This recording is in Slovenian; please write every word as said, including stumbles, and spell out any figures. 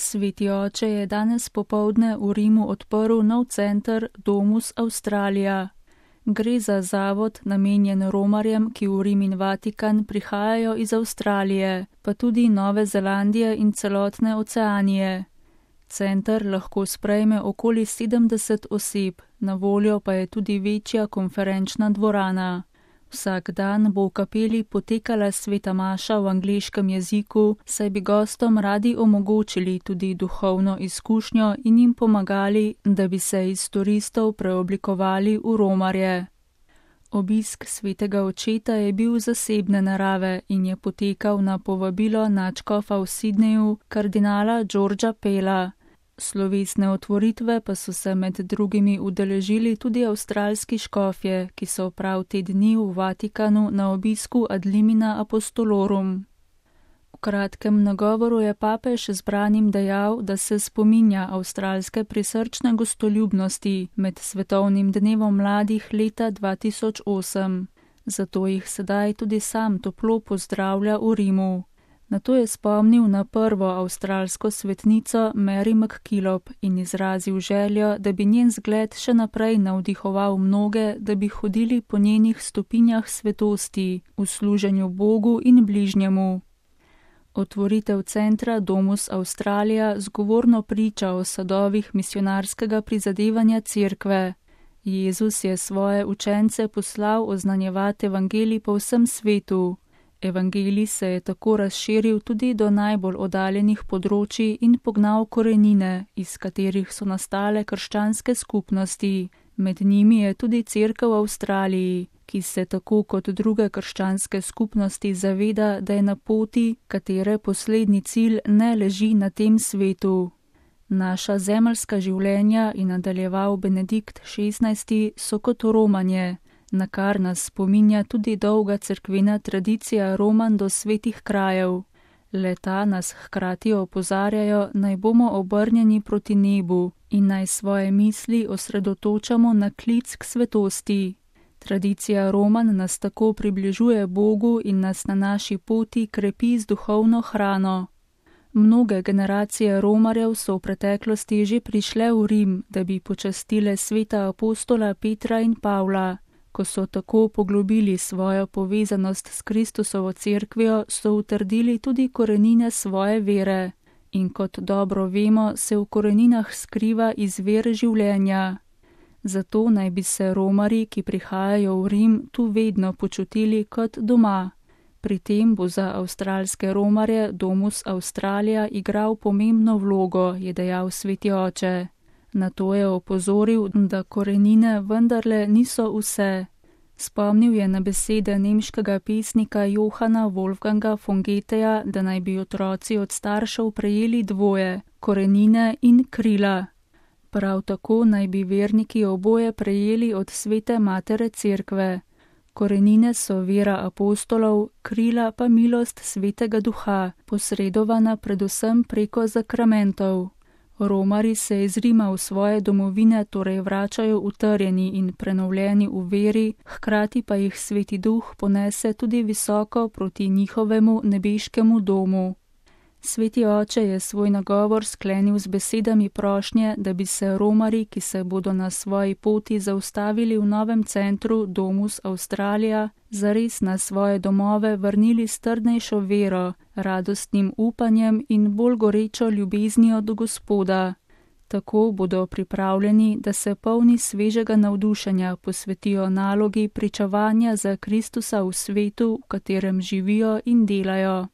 Sveti oče je danes popoldne v Rimu odprl nov center Domus Australia. Gre za zavod namenjen romarjem, ki v Rim in Vatikan prihajajo iz Avstralije, pa tudi Nove Zelandije in celotne Oceanije. Center lahko sprejme okoli sedemdeset oseb, na voljo pa je tudi večja konferenčna dvorana. Vsak dan bo v kapeli potekala sveta maša v angleškem jeziku, saj bi gostom radi omogočili tudi duhovno izkušnjo in jim pomagali, da bi se iz turistov preoblikovali v romarje. Obisk svetega očeta je bil zasebne narave in je potekal na povabilo nadškofa v Sydneyju, kardinala Georgea Pella. Slovesne otvoritve pa so se med drugimi udeležili tudi avstralski škofje, ki so prav te dni v Vatikanu na obisku ad limina apostolorum. V kratkem nagovoru je papež zbranim dejal, da se spominja avstralske prisrčne gostoljubnosti med svetovnim dnevom mladih leta dva tisoč osem. Zato jih sedaj tudi sam toplo pozdravlja v Rimu. Nato je spomnil na prvo avstralsko svetnico Mary MacKillop in izrazil željo, da bi njen zgled še naprej navdihoval mnoge, da bi hodili po njenih stopinjah svetosti, v služenju Bogu in bližnjemu. Otvoritev centra Domus Australia zgovorno priča o sadovih misionarskega prizadevanja cerkve. Jezus je svoje učence poslal oznanjevati evangelij po vsem svetu. Evangelij se je tako razširil tudi do najbolj oddaljenih področij in pognal korenine, iz katerih so nastale krščanske skupnosti. Med njimi je tudi cerkev v Avstraliji, ki se tako kot druge krščanske skupnosti zaveda, da je na poti, katere poslednji cilj ne leži na tem svetu. Naša zemeljska življenja, je nadaljeval Benedikt šestnajsti, so kot romanje, na kar nas spominja tudi dolga cerkvena tradicija romanj do svetih krajev. Leta nas hkrati opozarjajo, naj bomo obrnjeni proti nebu in naj svoje misli osredotočamo na klic k svetosti. Tradicija romanj nas tako približuje Bogu in nas na naši poti krepi z duhovno hrano. Mnoge generacije romarjev so v preteklosti že prišle v Rim, da bi počastile sveta apostola Petra in Pavla. Ko so tako poglobili svojo povezanost s Kristusovo cerkvijo, so utrdili tudi korenine svoje vere. In kot dobro vemo, se v koreninah skriva izvir življenja. Zato naj bi se romarji, ki prihajajo v Rim, tu vedno počutili kot doma. Pri tem bo za avstralske romarje Domus Australia igral pomembno vlogo, je dejal sveti oče. Na to je opozoril, da korenine vendarle niso vse. Spomnil je na besede nemškega pesnika Johana Wolfganga von Goetheja, da naj bi otroci od staršev prejeli dvoje, korenine in krila. Prav tako naj bi verniki oboje prejeli od svete matere cerkve. Korenine so vera apostolov, krila pa milost svetega duha, posredovana predvsem preko zakramentov. Romarji se iz Rima v svoje domovine torej vračajo utrjeni in prenovljeni v veri, hkrati pa jih sveti duh ponese tudi visoko proti njihovemu nebeškemu domu. Sveti oče je svoj nagovor sklenil z besedami prošnje, da bi se romarji, ki se bodo na svoji poti zaustavili v novem centru Domus Australia, zares na svoje domove vrnili s trdnejšo vero, radostnim upanjem in bolj gorečo ljubeznijo do Gospoda. Tako bodo pripravljeni, da se polni svežega navdušenja posvetijo nalogi pričevanja za Kristusa v svetu, v katerem živijo in delajo.